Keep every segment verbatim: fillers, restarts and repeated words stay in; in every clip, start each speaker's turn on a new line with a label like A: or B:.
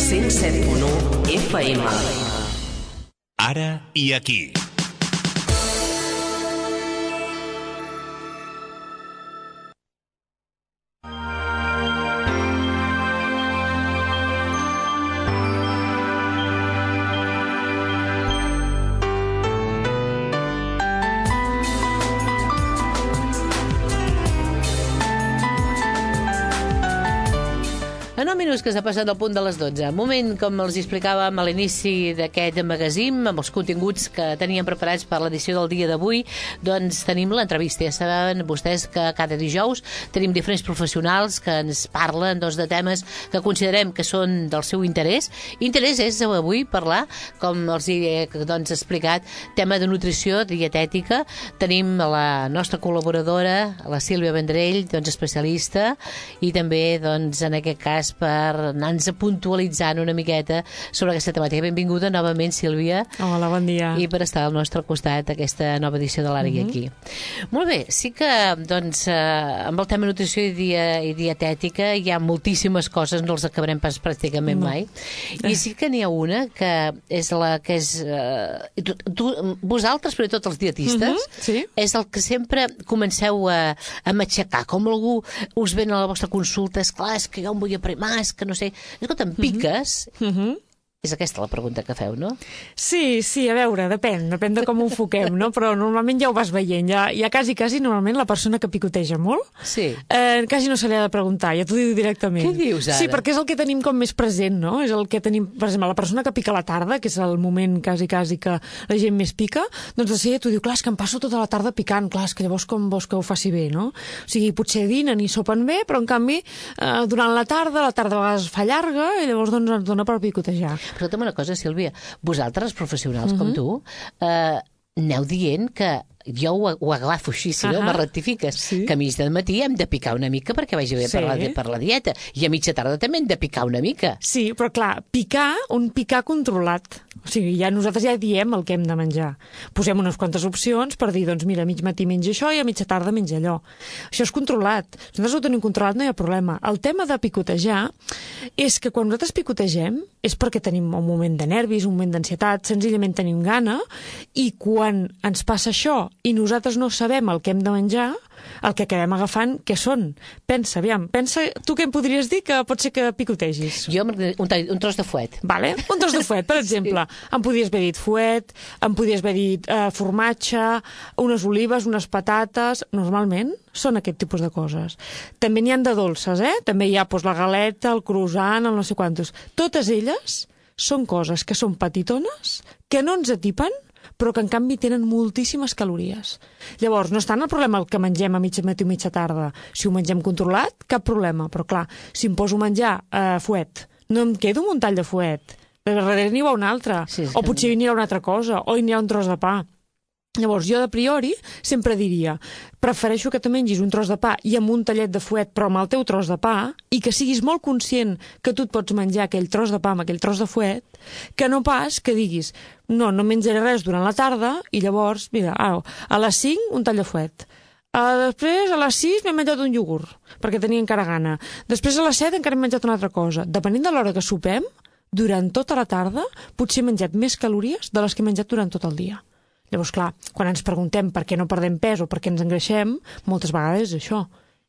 A: cent set punt u F M.
B: Ara i aquí.
C: nou minuts que s'ha passat al punt de les dotze. Moment, com els explicàvem a l'inici d'aquest magazín, amb els continguts que teníem preparats per l'edició del dia d'avui, doncs tenim l'entrevista. Ja saben vostès que cada dijous tenim diferents professionals que ens parlen doncs, de temes que considerem que són del seu interès. Interès és avui parlar, com els he doncs, explicat, tema de nutrició, dietètica. Tenim la nostra col·laboradora, la Sílvia Vendrell, doncs, especialista, i també, doncs, en aquest cas, per anar-nos puntualitzant una miqueta sobre aquesta temàtica. Benvinguda novament, Sílvia.
D: Hola, bon dia.
C: I per estar al nostre costat aquesta nova edició de l'Ara i
D: Mm-hmm.
C: aquí. Molt bé, sí que doncs, eh, amb el tema nutrició i, dia, i dietètica hi ha moltíssimes coses, no els acabarem pas pràcticament
D: No.
C: mai. I sí que n'hi ha una que és la que és... Eh, tu, tu, vosaltres, però tots els dietistes,
D: Mm-hmm. Sí.
C: és el que sempre comenceu a, a matxacar. Com algú us ven a la vostra consulta, és clar, és que jo em vull aprimar, és que no sé... Escolta, em piques?
D: Mm-hmm.
C: És aquesta la pregunta que feu, no?
D: Sí, sí, a veure, depèn, depèn de com ho enfoquem, no? Però normalment ja ho vas veient, ja, ja quasi, quasi, normalment la persona que picoteja molt,
C: Sí.
D: eh, quasi no se li ha de preguntar, ja t'ho diu directament.
C: Què dius, ara?
D: Sí, perquè és el que tenim com més present, no? És el que tenim, per exemple, la persona que pica a la tarda, que és el moment quasi, quasi que la gent més pica, doncs de seguida t'ho diu, clar, és que em passo tota la tarda picant, clar, és que llavors com vols que ho faci bé, no? O sigui, potser dinen i sopen bé, però en canvi, eh, durant la tarda, la tarda a vegades fa llarga, i llavors doncs ens dona per picotejar.
C: Escolta'm una cosa, Sílvia, vosaltres, professionals com tu, eh, aneu dient que jo ho, ho agafo així, si no,
D: Ahà.
C: me rectifiques,
D: Sí.
C: que a mig de matí hem de picar una mica perquè vagi bé
D: Sí.
C: per, la, per la dieta, i a mitja tarda també hem de picar una mica.
D: Sí, però clar, picar, un picar controlat. O sigui, ja nosaltres ja diem el que hem de menjar. Posem unes quantes opcions per dir, doncs mira, a mig matí menja això i a mitja tarda menja allò. Això és controlat. Si nosaltres ho tenim controlat no hi ha problema. El tema de picotejar és que quan nosaltres picotegem és perquè tenim un moment de nervis, un moment d'ansietat, senzillament tenim gana, i quan ens passa això i nosaltres no sabem el que hem de menjar, el que acabem agafant, què són? Pensa, aviam, pensa, tu què em podries dir que pot ser que picotegis?
C: Jo, un, tall- un tros de fuet.
D: Vale? Un tros de fuet, per exemple. Sí. Em podies haver dit fuet, em podies haver dit eh, formatge, unes olives, unes patates... Normalment són aquest tipus de coses. També n'hi han de dolces, eh? També hi ha doncs, la galeta, el croissant, el no sé quantos. Totes elles són coses que són petitones, que no ens atipen, però que en canvi tenen moltíssimes calories. Llavors, no és tant el problema el que mengem a mitja matí o mitja tarda. Si ho mengem controlat, cap problema. Però clar, si em poso a menjar eh, fuet, no em quedo amb un tall de fuet. De darrere n'hi ha un altre.
C: Sí, sí.
D: O potser n'hi ha una altra cosa. O n'hi ha un tros de pa. Llavors, jo de priori sempre diria prefereixo que te mengis un tros de pa i amb un tallet de fuet, però amb el teu tros de pa, i que siguis molt conscient que tu et pots menjar aquell tros de pa amb aquell tros de fuet, que no pas que diguis no, no menjaré res durant la tarda i llavors, mira, au, a les cinc un tall de fuet. Uh, després, a les sis m'he menjat un iogurt, perquè tenia encara gana. Després, a les set encara he menjat una altra cosa. Depenent de l'hora que sopem, durant tota la tarda potser he menjat més calories de les que he menjat durant tot el dia. Llavors, clar, quan ens preguntem per què no perdem pes o per què ens engreixem, moltes vegades és això.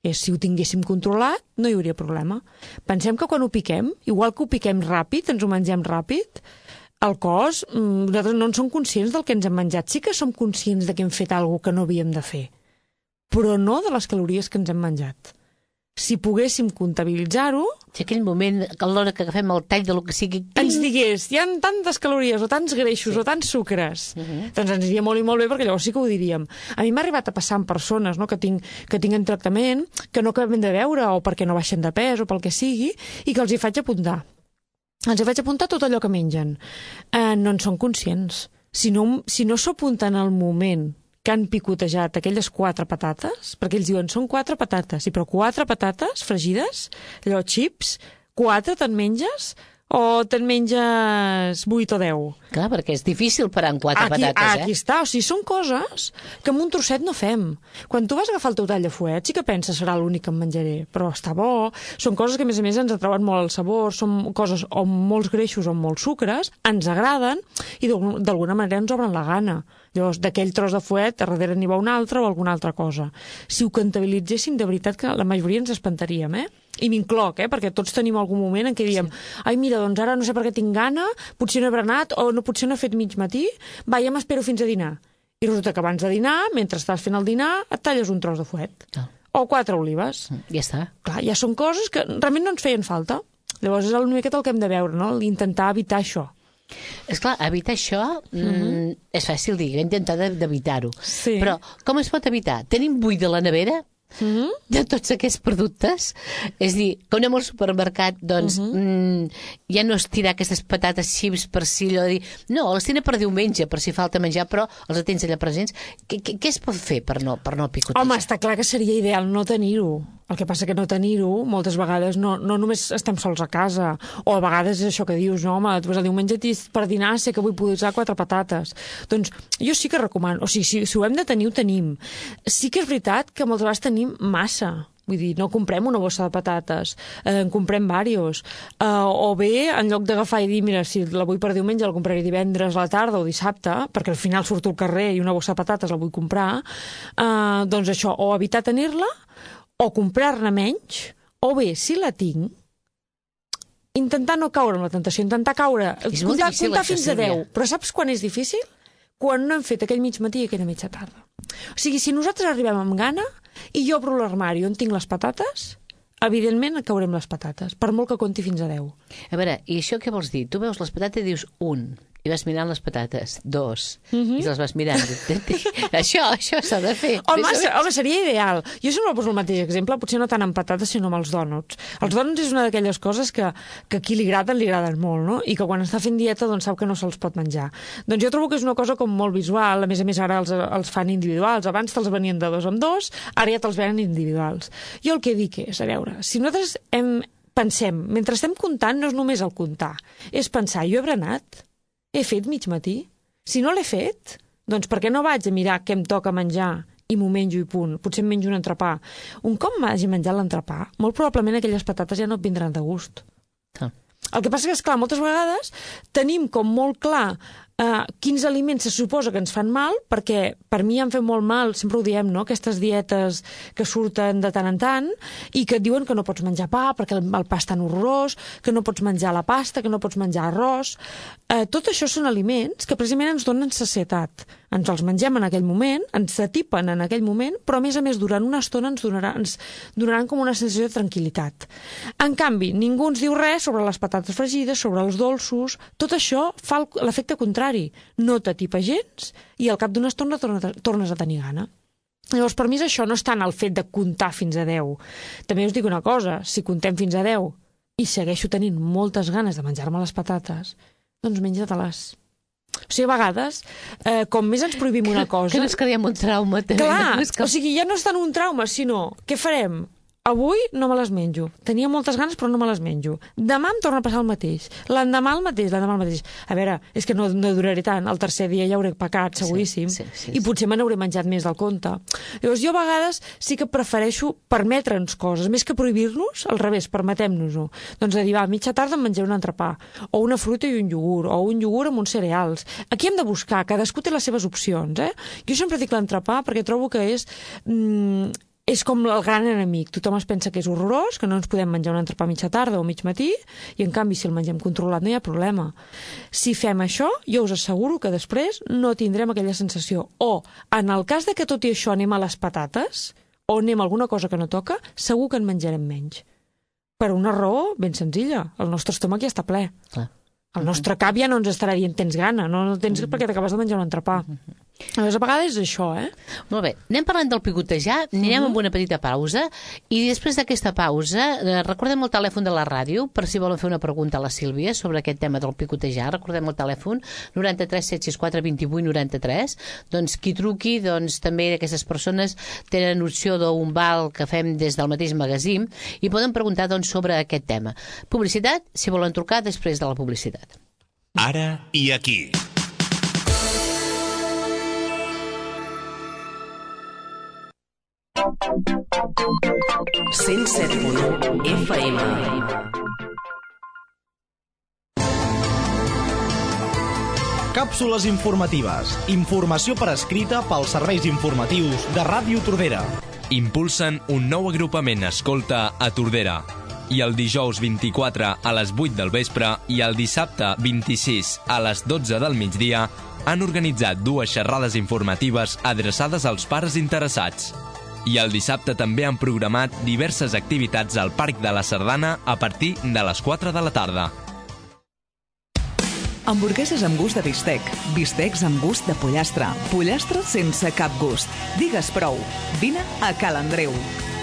D: És, si ho tinguéssim controlat, no hi hauria problema. Pensem que quan ho piquem, igual que ho piquem ràpid, ens ho mengem ràpid, el cos, nosaltres no en som conscients del que ens hem menjat. Sí que som conscients de que hem fet alguna cosa que no havíem de fer, però no de les calories que ens hem menjat. Si poguéssim comptabilitzar-ho...
C: Si aquell moment, a l'hora que agafem el tall de lo que sigui...
D: ens digués, hi ha tantes calories o tants greixos
C: Sí.
D: o tants sucres,
C: Uh-huh.
D: doncs ens diria molt i molt bé, perquè llavors sí que ho diríem. A mi m'ha arribat a passar amb persones, no, que, tinc, que tinguin tractament, que no acabem de veure, o perquè no baixen de pes, o pel que sigui, i que els hi faig apuntar. Els hi faig apuntar tot allò que mengen. Eh, no en són conscients. Si no, si no s'ho apunten al moment que han picotejat aquelles quatre patates, perquè ells diuen, són quatre patates, sí, però quatre patates fregides, allò, xips, quatre te'n menges, o te'n menges vuit o deu?
C: Clar, perquè és difícil parar amb quatre
D: aquí,
C: patates, eh?
D: Aquí està, o sigui, són coses que amb un trosset no fem. Quan tu vas agafar el teu tall de fuet, sí que penses serà l'únic que em menjaré, però està bo. Són coses que, a més a més, ens atrauen molt el sabor, són coses o amb molts greixos o amb molts sucres, ens agraden i d'alguna manera ens obren la gana. Llavors, d'aquell tros de fuet, a darrere n'hi va una altra o alguna altra cosa. Si ho comptabilitzéssim, de veritat que la majoria ens espantaríem, eh? I m'incloc, eh? Perquè tots tenim algun moment en què diem sí. ai, mira, doncs ara no sé per què tinc gana, potser no he berenat o no, potser no he fet mig matí, va, ja m'espero fins a dinar. I resulta que abans de dinar, mentre estàs fent el dinar, et talles un tros de fuet. Ah. O quatre olives.
C: Ja està.
D: Clar, ja són coses que realment no ens feien falta. Llavors és una miqueta el que hem de veure, no? Intentar evitar això.
C: És clar, evitar això mm, mm-hmm. és fàcil dir, intentar d'evitar-ho.
D: Sí.
C: Però com es pot evitar? Tenim buit de la nevera? Mm-hmm. De tots aquests productes, és a dir, que anem al supermercat, doncs mm-hmm. mm, ja no és tirar aquestes patates xips per si allò de dir, no, les tenen per diumenge per si falta menjar, però els tens allà presents. Què, què, què es pot fer per no, per no picotejar?
D: Home, està clar que seria ideal no tenir-ho. El que passa que no tenir-ho, moltes vegades no, no només estem sols a casa, o a vegades és això que dius, no, home, tu vas a diumenge per dinar, sé que vull posar quatre patates. Doncs jo sí que recomano, o sigui, si, si ho hem de tenir, ho tenim. Sí que és veritat que moltes vegades tenim massa. Vull dir, no comprem una bossa de patates, eh, en comprem diversos. Eh, o bé, en lloc d'agafar i dir, mira, si la vull per diumenge, la compraré divendres a la tarda o dissabte, perquè al final surto al carrer i una bossa de patates la vull comprar, eh, doncs això, o evitar tenir-la, o comprar-ne menys, o bé, si la tinc, intentar no caure en la tentació, intentar caure, comptar,
C: difícil,
D: comptar
C: això,
D: fins a deu. Però saps quan és difícil? Quan no hem fet aquell mig matí i aquella mitja tarda. O sigui, si nosaltres arribem amb gana i jo obro l'armari on tinc les patates, evidentment caurem les patates, per molt que compti fins a deu.
C: A veure, i això què vols dir? Tu veus les patates i dius un, i vas mirant les patates, dos,
D: mm-hmm.
C: i les vas mirant. això això s'ha de fer.
D: Home, home, seria ideal. Jo sempre poso el mateix exemple, potser no tant amb patates, sinó amb els dònuts. Els dònuts és una d'aquelles coses que, que a qui li agraden, li agraden molt, no? I que quan està fent dieta, doncs sap que no se'ls pot menjar. Doncs jo trobo que és una cosa com molt visual, a més a més ara els, els fan individuals, abans te'ls venien de dos en dos, ara ja te'ls venen individuals. Jo el que dic és, a veure, si nosaltres hem, pensem, mentre estem comptant, no és només el comptar, és pensar, jo he berenat? He fet mig matí? Si no l'he fet, doncs per què no vaig a mirar què em toca menjar i m'ho menjo i punt? Potser em menjo un entrepà. Un cop m'hagi menjat l'entrepà, molt probablement aquelles patates ja no et vindran de gust.
C: Ah.
D: El que passa que, esclar, moltes vegades tenim com molt clar Uh, quins aliments se suposa que ens fan mal, perquè per mi han fet molt mal, sempre ho diem, no?, aquestes dietes que surten de tant en tant i que et diuen que no pots menjar pa perquè el, el pa és tan horrorós, que no pots menjar la pasta, que no pots menjar arròs. Uh, tot això són aliments que precisament ens donen sacietat. Ens els mengem en aquell moment, ens atipen en aquell moment, però a més a més durant una estona ens, donarà, ens donaran com una sensació de tranquil·litat. En canvi, ningú ens diu res sobre les patates fregides, sobre els dolços. Tot això fa l'efecte contrari. No t'atipa gens i al cap d'una estona tornes a tenir gana. Llavors, per mi és això, no és tant el fet de comptar fins a deu. També us dic una cosa, si contem fins a deu i segueixo tenint moltes ganes de menjar-me les patates, doncs menja-te-les. O sigui, a vegades, eh, com més ens prohibim una cosa...
C: Que no és que hi ha un trauma. També.
D: Clar,
C: no és que...
D: o sigui, ja no és tant un trauma, sinó, què farem? Avui no me les menjo. Tenia moltes ganes, però no me les menjo. Demà em torna a passar el mateix. L'endemà el mateix, l'endemà el mateix. A veure, és que no, no duraré tant. El tercer dia ja hauré pecat, seguríssim. Sí, sí, sí, I potser me n'hauré menjat més del compte. Llavors, jo a vegades sí que prefereixo permetre'ns coses, més que prohibir-nos, al revés, permetem-nos-ho. Doncs de dir, va, a mitja tarda em menjaré un entrepà, o una fruita i un iogurt, o un iogurt amb uns cereals. Aquí hem de buscar, cadascú té les seves opcions, eh? Jo sempre dic l'entrepà perquè trobo que és... Mm, és com el gran enemic. Tothom es pensa que és horrorós, que no ens podem menjar un entrepà a mitja tarda o mig matí, i en canvi si el mengem controlat no hi ha problema. Si fem això, jo us asseguro que després no tindrem aquella sensació. O, en el cas de que tot i això anem a les patates, o anem a alguna cosa que no toca, segur que en menjarem menys. Per una raó ben senzilla. El nostre estómac ja està ple.
C: Clar.
D: El nostre cap ja no ens estarà dient tens gana, no, no tens mm-hmm. perquè t'acabes de menjar un entrepà. Mm-hmm. A vegades és això, eh?
C: Molt bé, anem parlant del picotejar, anirem uh -huh. amb una petita pausa i després d'aquesta pausa eh, recordem el telèfon de la ràdio per si volen fer una pregunta a la Sílvia sobre aquest tema del picotejar. Recordem el telèfon noranta-tres set sis quatre vint vuit noranta-tres. Doncs qui truqui, doncs també aquestes persones tenen opció d'un val que fem des del mateix magazín i poden preguntar doncs, sobre aquest tema. Publicitat, si volen trucar després de la publicitat.
B: Ara i aquí.
A: cent set punt u F M.
E: Càpsules informatives. Informació per escrita pels serveis informatius de Ràdio Tordera.
F: Impulsen un nou agrupament escolta a Tordera. I el dijous vint-i-quatre a les vuit del vespre i el dissabte vint-i-sis a les dotze del migdia han organitzat dues xerrades informatives adreçades als pares interessats. I el dissabte també han programat diverses activitats al Parc de la Sardana a partir de les quatre de la tarda.
G: Hamburgueses amb gust de bistec, bistecs amb gust de pollastre, pollastre sense cap gust. Digues prou. Vine a Cal Andreu.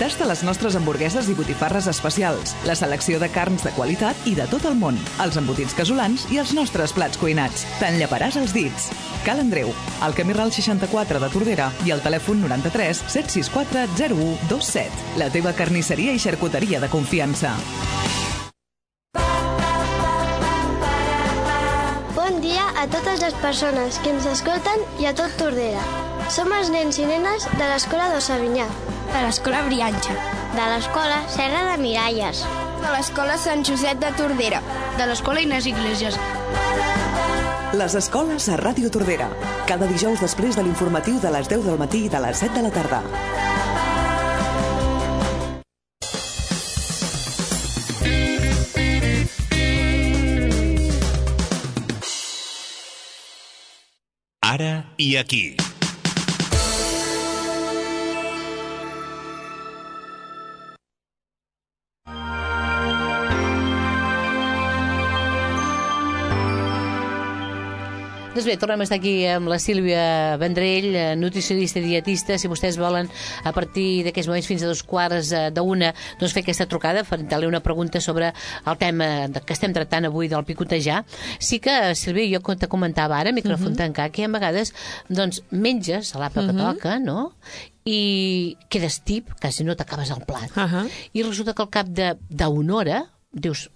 G: Tasta les nostres hamburgueses i botifarres especials, la selecció de carns de qualitat i de tot el món, els embotits casolans i els nostres plats cuinats. Te'n lleparàs els dits. Cal Andreu, al camí Ral seixanta-quatre de Tordera i al telèfon noranta-tres set sis quatre zero u dos set. La teva carnisseria i xarcuteria de confiança.
H: Bon dia a totes les persones que ens escolten i a tot Tordera. Som els nens i nenes de l'Escola d'Ossavinyà,
I: de l'Escola Brianxa,
H: de l'Escola Serra de Miralles,
I: de l'Escola Sant Josep de Tordera, de l'Escola Inés Iglesias.
G: Les escoles a Ràdio Tordera. Cada dijous després de l'informatiu de les deu del matí i de les set de la tarda.
B: Ara i aquí.
C: Doncs bé, tornem a estar aquí amb la Sílvia Vendrell, nutricionista i dietista. Si vostès volen, a partir d'aquests moments fins a dos quarts d'una, doncs fer aquesta trucada, fer-li una pregunta sobre el tema que estem tractant avui del picotejar. Sí que, Sílvia, jo te comentava ara, micròfon uh -huh. tancat, que a vegades doncs, menges a l'àpat uh -huh. que toca, no?, i quedes tip, quasi no t'acabes el plat. Uh -huh. I resulta que al cap d'una hora dius...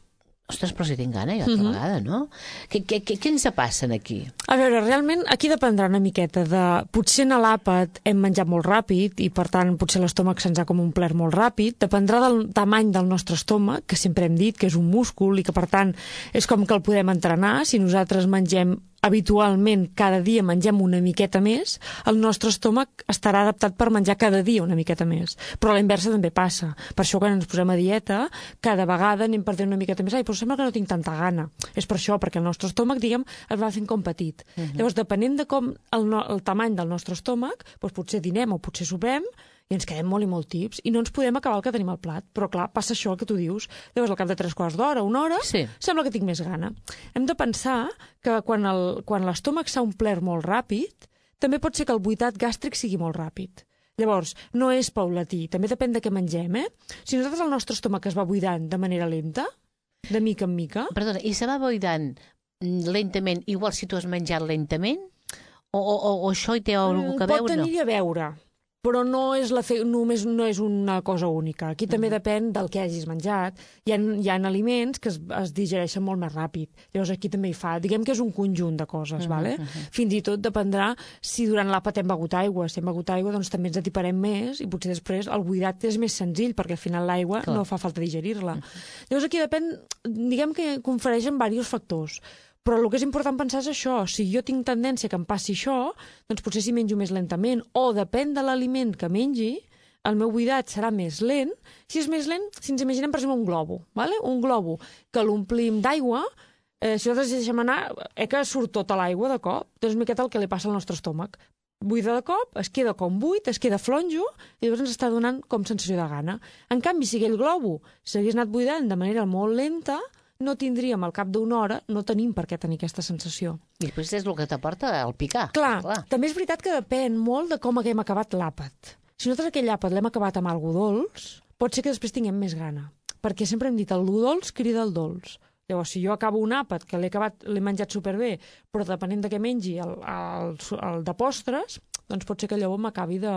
C: Ostres, però si tinc gana, jo altra uh -huh. vegada, no? Què, què, què, què ens passa aquí?
D: A veure, realment, aquí dependrà una miqueta de... Potser a l'àpat hem menjat molt ràpid i, per tant, potser l'estómac se'ns ha com omplert molt ràpid. Dependrà del tamany del nostre estómac, que sempre hem dit que és un múscul i que, per tant, és com que el podem entrenar. Si nosaltres mengem habitualment cada dia mengem una miqueta més, el nostre estómac estarà adaptat per menjar cada dia una miqueta més. Però la inversa també passa. Per això, quan ens posem a dieta, cada vegada anem perdent una miqueta més. Ai, però sembla que no tinc tanta gana. És per això, perquè el nostre estómac, diguem, es va fent com petit. Uh -huh. Llavors, depenent de com el, no, el tamany del nostre estómac, doncs potser dinem o potser sopem, i ens quedem molt i molt tips, i no ens podem acabar el que tenim al plat. Però, clar, passa això el que tu dius. Llavors, al cap de tres quarts d'hora, una hora, sí. sembla que tinc més gana. Hem de pensar que quan el, quan l'estómac s'ha omplert molt ràpid, també pot ser que el buidat gàstric sigui molt ràpid. Llavors, no és paulatí, també depèn de què mengem, eh? Si nosaltres el nostre estómac es va buidant de manera lenta, de mica en mica...
C: Perdona, i se va buidant lentament, igual si tu has menjat lentament? O, o, o això hi té alguna cosa a veure?
D: Pot tenir a veure, però no és, la fe... només no és una cosa única. Aquí també depèn del que hagis menjat. Hi ha, hi ha aliments que es, es digereixen molt més ràpid. Llavors aquí també hi fa. Diguem que és un conjunt de coses, uh -huh, vale? Uh -huh. Fins i tot dependrà si durant l'àpat hem begut aigua. Si hem begut aigua, doncs també ens atiparem més i potser després el buidat és més senzill perquè al final l'aigua no fa falta digerir-la. Uh -huh. Llavors aquí depèn, diguem que confereixen diversos factors. Però el que és important pensar és això. Si jo tinc tendència que em passi això, doncs potser si menjo més lentament, o depèn de l'aliment que mengi, el meu buidat serà més lent. Si és més lent, si ens imaginem, per exemple, un globo, ¿vale? Un globo que l'omplim d'aigua, eh, si nosaltres deixem anar, eh, que surt tota l'aigua de cop, doncs és miqueta el que li passa al nostre estómac. Buida de cop, es queda com buit, es queda flonjo, i llavors ens està donant com sensació de gana. En canvi, si aquell globo s'hagués anat buidant de manera molt lenta, no tindríem al cap d'una hora, no tenim per què tenir aquesta sensació.
C: I després és el que t'aporta el picar.
D: Clar,
C: Clar,
D: també és veritat que depèn molt de com haguem acabat l'àpat. Si nosaltres aquell àpat l'hem acabat amb algo dolç, pot ser que després tinguem més gana. Perquè sempre hem dit, el dolç crida el dolç. Llavors, si jo acabo un àpat que l'he acabat, l'he menjat superbé, però depenent de què mengi el, el, el de postres, doncs pot ser que llavors m'acabi de...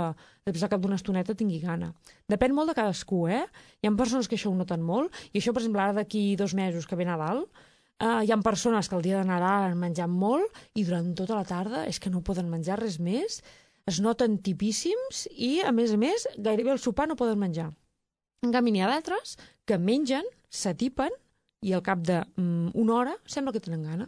D: després al cap d'una estoneta tingui gana. Depèn molt de cadascú, eh? Hi ha persones que això ho noten molt, i això, per exemple, ara d'aquí dos mesos que ve Nadal, eh, hi ha persones que el dia de Nadal han menjat molt i durant tota la tarda és que no poden menjar res més, es noten tipíssims i, a més a més, gairebé al sopar no poden menjar. En canvi, n'hi ha d'altres que mengen, s'atipen, i al cap d'una mm, hora sembla que tenen gana.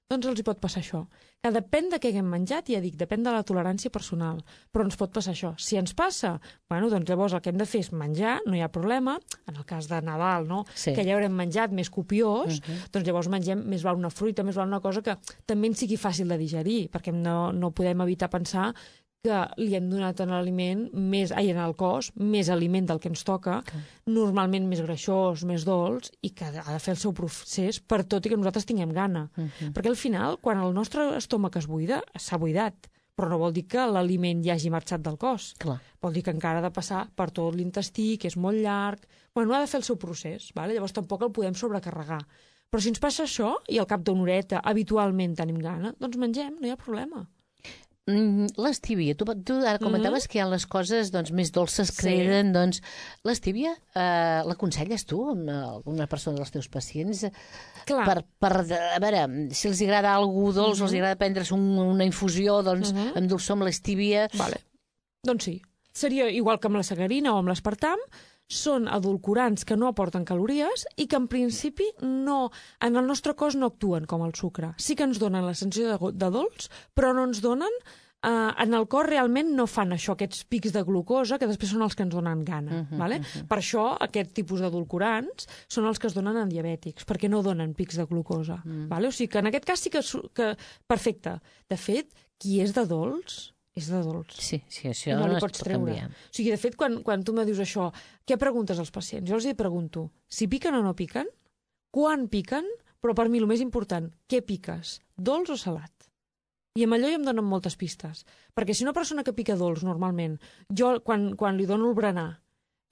D: Doncs els hi pot passar això. Que depèn de què haguem menjat, ja dic, depèn de la tolerància personal, però ens pot passar això. Si ens passa, bueno, doncs llavors el que hem de fer és menjar, no hi ha problema, en el cas de Nadal, no?
C: Sí.
D: Que ja haurem menjat més copiós,
C: Uh-huh.
D: doncs llavors mengem més val una fruita, més val una cosa que també ens sigui fàcil de digerir, perquè no, no podem evitar pensar que li hem donat en l'aliment més, ai, en el cos, més aliment del que ens toca, okay. Normalment més greixós, més dolç, i que ha de fer el seu procés per tot i que nosaltres tinguem gana. Uh-huh. Perquè al final, quan el nostre estómac es buida, s'ha buidat, però no vol dir que l'aliment ja hagi marxat del cos.
C: Clar.
D: Vol dir que encara ha de passar per tot l'intestí, que és molt llarg. Bueno, ha de fer el seu procés, vale? Llavors tampoc el podem sobrecarregar. Però si ens passa això, i al cap d'una horeta habitualment tenim gana, doncs mengem, no hi ha problema.
C: L'estíbia, tu, tu ara comentaves mm-hmm. que hi ha les coses doncs, més dolces que
D: Sí.
C: eren, doncs l'estíbia eh, l'aconselles tu amb alguna persona dels teus pacients?
D: Clar.
C: Per, per, a veure, si els agrada alguna dolç,
D: Mm-hmm.
C: els agrada prendre's un, una infusió, doncs
D: Mhm.
C: endolçar amb l'estíbia.
D: Vale. Doncs sí. Seria igual que amb la sacarina o amb l'espartam, són edulcorants que no aporten calories i que en principi no, en el nostre cos no actuen com el sucre. Sí que ens donen la sensació de, de dolç, però no ens donen... Uh, en el cor realment no fan això, aquests pics de glucosa, que després són els que ens donen gana.
C: Uh-huh,
D: vale?
C: uh-huh.
D: Per això aquest tipus d'edulcorants són els que es donen en diabètics, perquè no donen pics de glucosa. Mm. Vale? O sigui que en aquest cas sí que, que... Perfecte. De fet, qui és de dolç, és de dolç.
C: Sí, sí, això
D: no
C: no,
D: li
C: es
D: pots
C: pot
D: treure.
C: canviar.
D: O sigui, de fet, quan, quan tu me dius això, què preguntes als pacients? Jo els hi pregunto, si piquen o no piquen, quan piquen, però per mi el més important, què piques, dolç o salat? I amb allò ja em donen moltes pistes. Perquè si una persona que pica dolç, normalment, jo quan, quan li dono el berenar,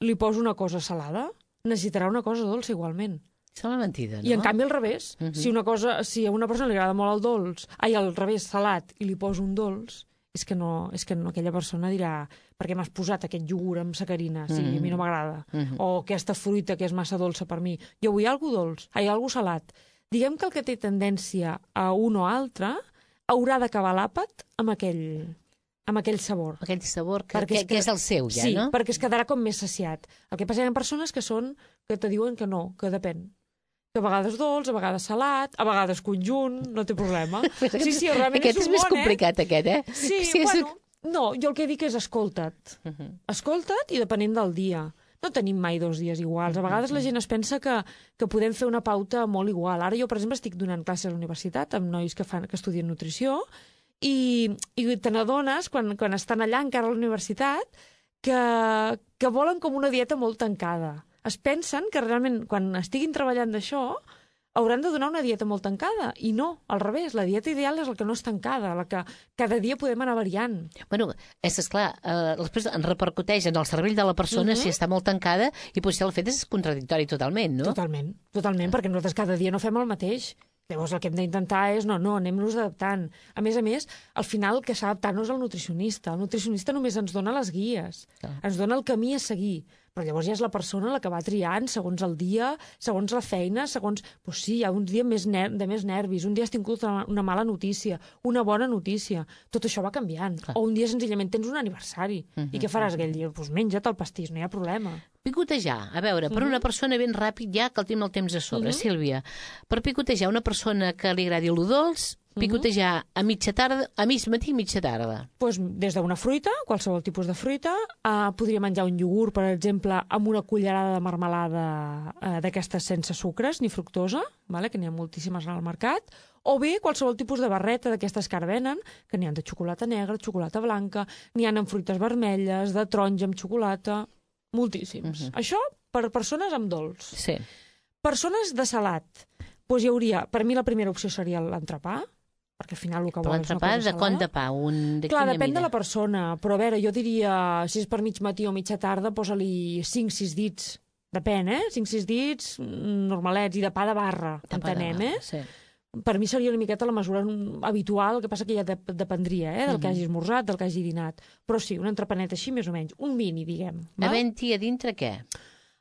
D: li poso una cosa salada, necessitarà una cosa dolça igualment.
C: Sembla mentida, no?
D: I en canvi al revés.
C: Uh-huh.
D: Si una cosa, si a una persona li agrada molt el dolç, ai, al revés, salat, i li poso un dolç, és que no, és que no, aquella persona dirà per què m'has posat aquest iogurt amb sacarina, sí,
C: Mhm.
D: a mi no m'agrada.
C: Mhm.
D: O aquesta fruita que és massa dolça per mi. Jo vull alguna dolç, ai, alguna salat. Diguem que el que té tendència a un o altre haurà d'acabar l'àpat amb aquell, amb aquell sabor.
C: Aquell sabor que,
D: Perquè
C: que,
D: és
C: que és el seu, ja,
D: sí,
C: no?
D: perquè es quedarà com més saciat. El que passa que hi ha persones que són que te diuen que no, que depèn. Que a vegades dolç, a vegades salat, a vegades conjunt, no té problema. Sí, sí, realment
C: aquest és,
D: un
C: més
D: bon,
C: complicat,
D: eh?
C: aquest, eh?
D: Sí,
C: sí
D: bueno, no, jo el que dic és escolta't.
C: Uh -huh.
D: Escolta't i depenent del dia. No tenim mai dos dies iguals. A vegades la gent es pensa que, que podem fer una pauta molt igual. Ara jo, per exemple, estic donant classes a la universitat amb nois que, fan, que estudien nutrició i, i te n'adones, quan, quan estan allà encara a la universitat, que, que volen com una dieta molt tancada. Es pensen que realment, quan estiguin treballant d'això, hauran de donar una dieta molt tancada. I no, al revés, la dieta ideal és la que no és tancada, la que cada dia podem anar variant.
C: Bueno, és esclar, eh, després en repercuteix en el cervell de la persona
D: Mhm.
C: si està molt tancada i potser el fet és contradictori totalment, no?
D: Totalment, totalment, perquè nosaltres cada dia no fem el mateix. Llavors el que hem d'intentar és, no, no, anem-nos adaptant. A més a més, al final el que s'ha d'adaptar no és el nutricionista. El nutricionista només ens dona les guies,
C: Clar.
D: ens dona el camí a seguir. Però llavors ja és la persona la que va triant segons el dia, segons la feina, segons... Pues sí, hi ha uns dies més ner de més nervis, un dia has tingut una mala notícia, una bona notícia. Tot això va canviant.
C: Clar.
D: O un dia senzillament tens un aniversari.
C: Mhm.
D: I què faràs aquell dia? Doncs menja't el pastís, no hi ha problema.
C: Picotejar, a veure, per una persona ben ràpid, ja que el tenim el temps a sobre,
D: Mhm.
C: Sílvia, per picotejar una persona que li agradi el dolç, picotejar a mitja tarda, a mig matí i mitja tarda.
D: Pues, des d'una fruita, qualsevol tipus de fruita, eh, podria menjar un iogurt, per exemple, amb una cullerada de marmelada eh, d'aquestes sense sucres ni fructosa, vale? Que n'hi ha moltíssimes al mercat, o bé qualsevol tipus de barreta d'aquestes que ara venen, que n'hi ha de xocolata negra, xocolata blanca, n'hi ha amb fruites vermelles, de taronja amb xocolata, moltíssims.
C: Mhm.
D: Això per persones amb dolç.
C: Sí.
D: Persones de salat. doncs hi hauria, per mi la primera opció seria l'entrepà, perquè al final el que
C: Però
D: vols és una
C: l'entrepà
D: cosa
C: de
D: salada.
C: con de pa? Un, de
D: Clar,
C: quina
D: depèn
C: mida?
D: de la persona, però a veure, jo diria, si és per mig matí o mitja tarda, posa-li cinc sis dits. Depèn, eh? cinc sis dits mm, normalets i de pa de barra,
C: De pa de
D: entenem,
C: barra,
D: eh?
C: sí.
D: Per mi seria una miqueta la mesura habitual, el que passa que ja dep dependria eh, del que hagi esmorzat, del que hagi dinat. Però sí, un entrepanet així, més o menys. Un mini, diguem. val?
C: Havent-hi a dintre què?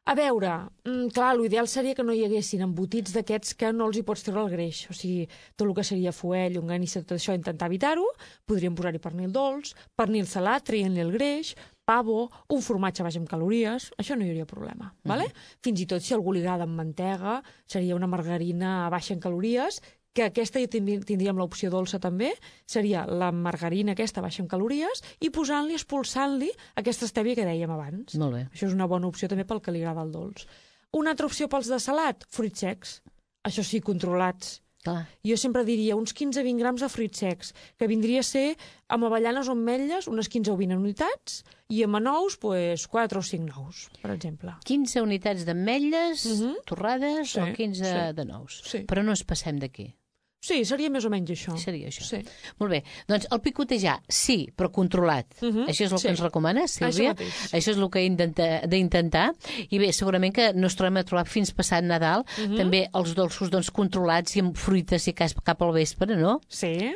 D: A veure, mm, clar, l'ideal seria que no hi haguessin embotits d'aquests que no els hi pots treure el greix. O sigui, tot el que seria fuell, llonganissa, tot això, intentar evitar-ho. Podríem posar-hi pernil dolç, pernil salat, traient-li el greix, pavo, un formatge baix en calories, això no hi hauria problema. Uh -huh. vale? Fins i tot si algú li agrada amb mantega, seria una margarina baixa en calories, que aquesta ja tindríem l'opció dolça també, seria la margarina aquesta baixa en calories i posant-li, expulsant-li aquesta estèvia que dèiem abans.
C: Molt bé.
D: Això és una bona opció també pel que li agrada el dolç. Una altra opció pels de salat, fruits secs. Això sí, controlats.
C: Clar.
D: Jo sempre diria uns quinze a vint grams de fruits secs, que vindria a ser amb avellanes o ametlles unes quinze o vint unitats i amb nous, pues, quatre o cinc nous, per exemple.
C: quinze unitats d'ametlles
D: Uh -huh.
C: torrades
D: Sí,
C: o quinze
D: sí.
C: de nous.
D: Sí.
C: Però no ens passem d'aquí.
D: Sí, seria més o menys això.
C: Seria això.
D: Sí.
C: Molt bé. Doncs el picotejar, sí, però controlat.
D: Uh -huh.
C: Això és el
D: Sí.
C: que ens recomanes, Sílvia?
D: Això mateix.
C: Això és el que hem d'intentar. I bé, segurament que no es trobem a trobar fins passat Nadal
D: Uh -huh.
C: també els dolços doncs, controlats i amb fruites, si cas, cap al vespre, no?
D: Sí.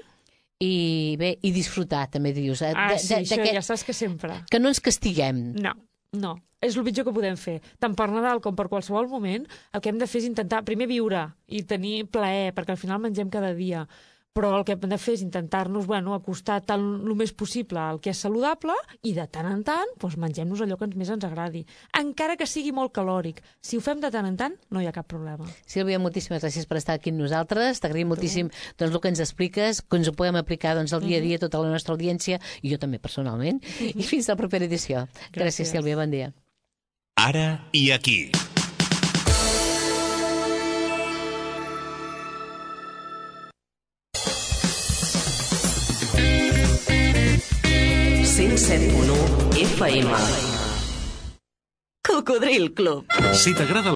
C: I bé, i disfrutar, també dius. eh?
D: Ah,
C: De-
D: sí,
C: de-
D: això
C: d'aquest-
D: ja saps que sempre.
C: Que no ens castiguem.
D: No, no. És el pitjor que podem fer. Tant per Nadal com per qualsevol moment, el que hem de fer és intentar primer viure i tenir plaer, perquè al final mengem cada dia. Però el que hem de fer és intentar-nos, bueno, acostar tant el més possible al que és saludable i de tant en tant doncs, mengem-nos allò que ens més ens agradi. Encara que sigui molt calòric. Si ho fem de tant en tant, no hi ha cap problema.
C: Sílvia, moltíssimes gràcies per estar aquí amb nosaltres. T'agraïm moltíssim doncs, el que ens expliques, que ens ho podem aplicar doncs, al dia a dia, tota la nostra audiència, i jo també personalment. I fins a la propera edició. Gràcies,
D: Gràcies.
C: Sílvia, bon dia.
B: Ara i aquí.
A: cent set punt u F M. Cocodril Club.
B: Si t'agrada